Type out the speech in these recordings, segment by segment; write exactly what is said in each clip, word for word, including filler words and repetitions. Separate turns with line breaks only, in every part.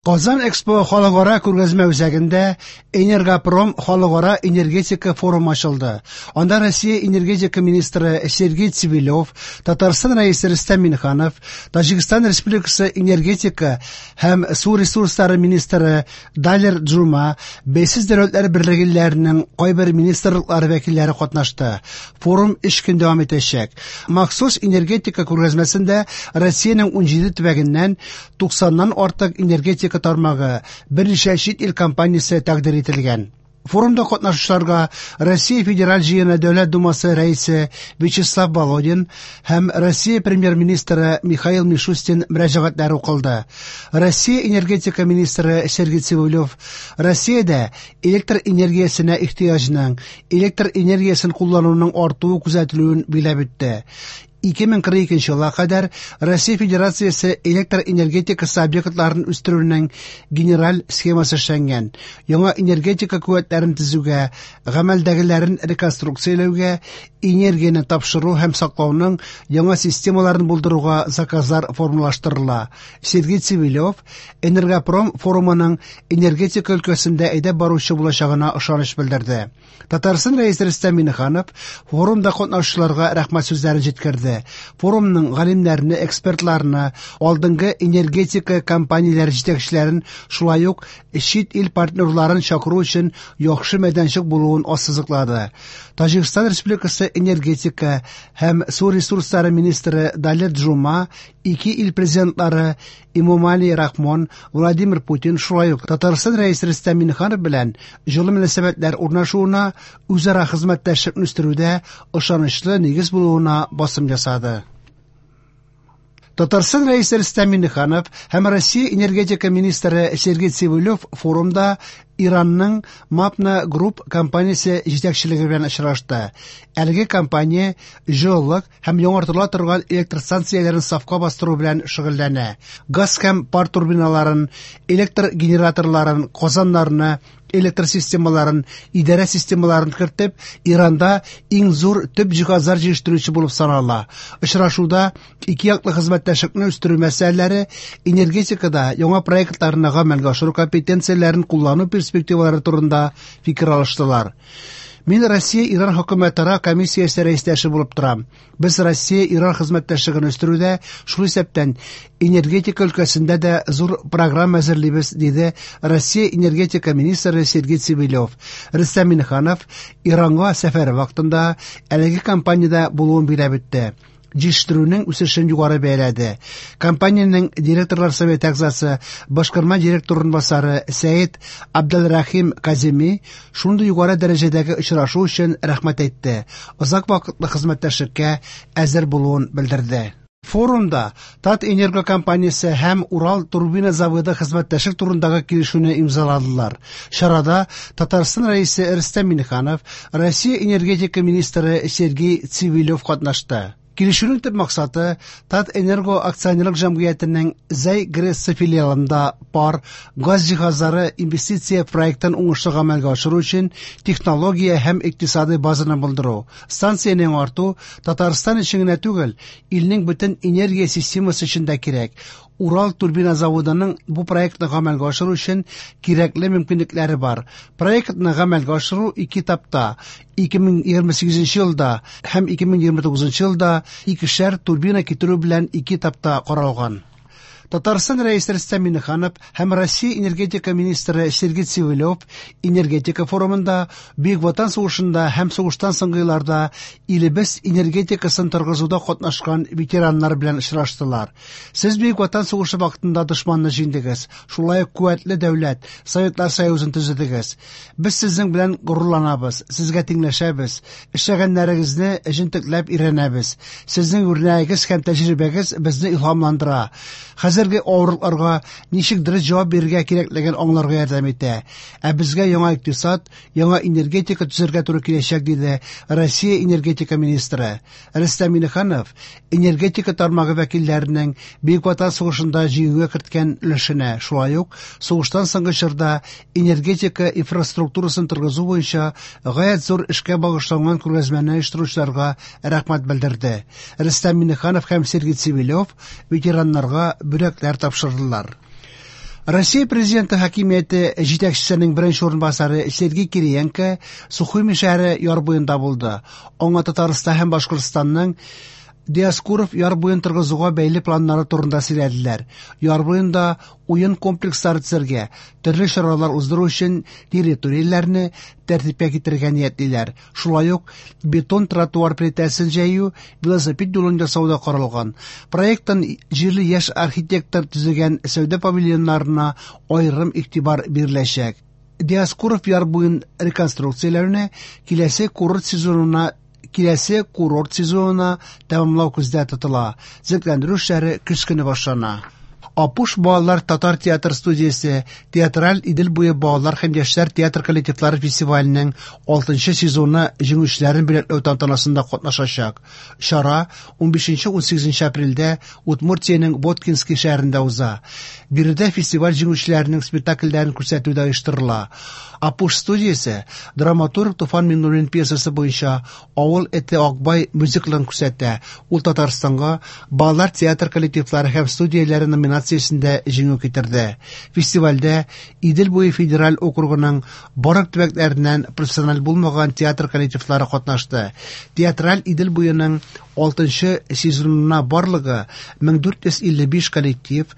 Казан Экспо халыкара күргәзмә үзәгендә Энергопром халыкара энергетика форумы ачылды. Анда Россия энергетика министры Сергей Цивилев, Татарстан Рәисе Рөстәм Миңнеханов, Таҗикстан Республикасы энергетика һәм су ресурслары министры Далер Джума, Бәйсез дәүләтләр берлеге илләренең кайбер министрлыклары вәкилләре катнашты. Форум өч көн дәвам итәчәк. Махсус энергетика күргәзмәсендә Россиянең унҗиде төбәгеннән туксаннан артык энергетика тармагы, берничә чит ил компаниясе тәкъдир ителгән. Форумда катнашучыларга Россия Федераль Җыены Дәүләт Думасы рәисе Вячеслав Володин һәм Россия премьер-министры Михаил Мишустин мөрәҗәгатьләре укылды. Россия энергетика министры Сергей Цивилев Россиядә электр энергиясенә ихтыяҗның, электр энергиясен куллануның артуы күзәтелүен билгеләп үтте. ике мең кырык икенче елга кадәр Россия Федерациясе электр энергетикасы объектларын үстерүнең генераль схемасы эшләнгән. Яңа энергетика куәтләрен төзүгә, гамәлдәгеләрен реконструкцияләүгә, энергияне тапшыру һәм саклауның яңа системаларын булдыруга заказлар формалаштырыла. Сергей Цивилев Энергопром форумының энергетика өлкәсендә әйдәп баручы булачагына ышаныч белдерде. Татарстан Рәисе Рөстәм Миңнеханов форумда катнашучыларга рәхмәт сүзләрен җиткерде. Форумның галимнәрне, экспертларны, алдынгы энергетика компанияләре җитәкчеләрен, шулай ук чит ил партнерларын чакыру өчен яхшы мәйданчык булуын ассызыклады. Таҗикстан Республикасы энергетика һәм су ресурслары министры Далер Джума ике ил президентлары Эмомали Рахмон, Владимир Путин, шулай ук Татарстан Рәисе Рөстәм Миңнеханов белән җылы мөнәсәбәтләр урнашуына, үзара хезмәттәшлекне үстерүдә ышанычлы нигез булуына басым ясады. Татарстан Рәисе Рөстәм Миңнеханов һәм Россия энергетика министры Сергей Цивилев форумда Иранның Мапна Group компаниясе җитәкчелеге белән очрашты. Әлеге компания җылылык һәм яңартыла торган электр станцияләрен сафка бастыру белән шөгыльләнә. Газ һәм пар турбиналарын, электр генераторларын, казаннарны, электр системаларын, идарә системаларын кертеп, Иранда иң зур төп җиһазлар җитештерүче булып санала. Очрашуда ике яклы хезмәттәшлекне үстерү мәсьәләләре, энергетикада яңа проектларны гамәлгә ашыру компетенцияләрен куллану перспективалары турында фикер алыштылар. Мин Россия-Иран хөкүмәтара комиссиясе рәистәше булып торам. Без Россия-Иран хезмәттәшлеген үстерүдә, шул исәптән энергетика өлкәсендә дә зур программа әзерлибез, диде Россия энергетика министры Сергей Цивилев. Рөстәм Миңнеханов Иранга сәфәре вакытында әлеге компаниядә булуын билгеләп үтте. Җитештерүнең үсешен югары бәяләде. Компаниянең директорлар советы әгъзасы, башкарма директор урынбасары Сәет Абделрахим Каземи шундый югары дәрәҗәдәге очрашу өчен рәхмәт әйтте. Озак вакытлы хезмәттәшлеккә әзер булуын белдерде. Форумда Татэнерго компаниясе һәм Урал турбина заводы хезмәттәшлек турындагы килешүне имзаладылар. Чарада Татарстан Рәисе Рөстәм Миңнеханов, Россия энергетика министры Сергей Цивилев катнашты. Килешүнең төп максаты Татэнерго акционерлык җәмгыятенең Зәй ГРЭС филиалында пар газ җиһазлары инвестиция проектын уңышлы гамәлгә ашыру өчен технология һәм икътисадый базаны булдыру. Станциянең арту Татарстан өчен генә түгел, илнең бөтен энергия системасы өчен дә кирәк. Урал турбина заводының бу проектны гамәлгә ашыру өчен кирәкле мөмкинлекләре бар. Проектны гамәлгә ашыру ике этапта, ике мең егерме сигезенче елда һәм ике мең егерме тугызынчы елда икешәр турбина китерү белән ике этапта каралган. Татарстан Рәисе Рөстәм Миңнеханов һәм Россия энергетика министры Сергей Цивилев энергетика форумында Бөек Ватан сугышында һәм сугыштан соңгы елларда илебез энергетикасын торгызуда катнашкан ветераннар белән очраштылар. Сез Бөек Ватан сугышы вакытында дошманны җиңдегез, шулай ук куәтле дәүләт, Советлар Союзын төзедегез. Без сезнең белән горурланабыз, сезгә тиңләшәбез, эшләгәннәрегезне җентекләп өйрәнәбез. Сезнең үрнәгегез һәм тәҗрибәгез безне илһамландыра. Хәзерге авырлыкларга ничек дөрес җавап бирергә кирәклеген аңларга ярдәм итә. Ә безгә яңа икътисад, яңа энергетика төзергә туры киләчәк, диде Россия энергетика министры. Рөстәм Миңнеханов энергетика тармагы вәкилләренең Бөек Ватан сугышында җиңүгә керткән өлешенә, шулай ук сугыштан соңгы чорда энергетика инфраструктурасын торгызу буенча гаять зур эшкә багышланган күргәзмәне оештыручыларга рәхмәт белдерде. Рөстәм Миңнеханов һәм Сергей Цивилев ветераннарга бүләкләр тапшырдылар. Россия Президенты хакимияте җитәкчесенең беренче урынбасары Сергей Кириенко Сухуми шәһәре яр буенда булды. Аңа Татарстан һәм Башкортстанның Диоскуров яр буен торгызуга бәйле планнары турында сөйләделәр. Яр буенда уен комплекслары төзергә, төрле чаралар уздыру өчен территорияләрне тәртипкә китерергә ниятлиләр. Шулай ук бетон тротуар плитәсен җәю, велосипед юлын ясау да каралган. Проекттан җирле яшь архитектор төзегән сәүдә павильоннарына аерым игътибар биреләчәк. Диоскуров яр буен реконструкцияләүне киләсе курорт сезонына киләсе курорт сезонына тәмамлау күздә тотыла. Төзекләндерү эшләре көз көне башлана. Апуш балалар татар театр студиясе Театраль Идел буе балалар һәм яшьләр театр коллективлары фестиваленең алтынчы сезоны җиңүчеләрен бүләкләү тантанасында катнашачак. Чара унбишенче-унсигезенче апрельдә Удмуртиянең Воткинский шәһәрендә уза. Биредә фестиваль җиңүчеләренең спектакльләрен күрсәтү дә оештырыла. Апуш студиясе драматург Туфан Миңнуллин пьесасы буенча Авыл эте Акбай мюзиклын күрсәтә. Ул Татарстанга балалар театр коллективлары һәм студияләре номинациясендә җиңү китерде. Фестивальдә Идел буе федераль округының барлык төбәкләреннән профессиональ булмаган театр коллективлары катнашты. Театраль Идел буеның алтынчы сезонына барлыгы мең дүрт йөз илле биш коллектив,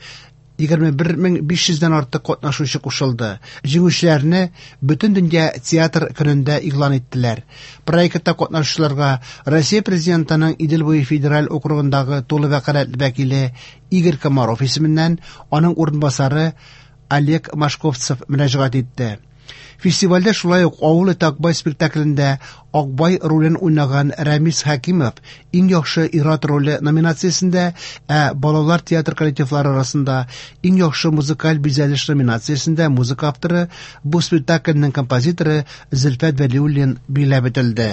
егерме бер мең биш йөздән артык катнашучы кушылды. Җиңүчеләрне Бөтен дөнья театр көнендә игълан иттеләр. Проектта катнашучыларга Россия Президентының Идел буе федераль округындагы тулы вәкаләтле вәкиле Игорь Комаров исеменнән аның урынбасары Олег Машковцев мөрәҗәгать итте. Фестивальдә шулай ук Авыл эте Акбай спектаклендә Акбай ролен уйнаган Рәмис Хәкимов иң яхшы ир-ат роле номинациясендә, ә балалар театр коллективлары арасында иң яхшы музыкаль бизәлеш номинациясендә музыка авторы, бу спектакльнең композиторы Зөлфәт Вәлиуллин билгеләп үтелде.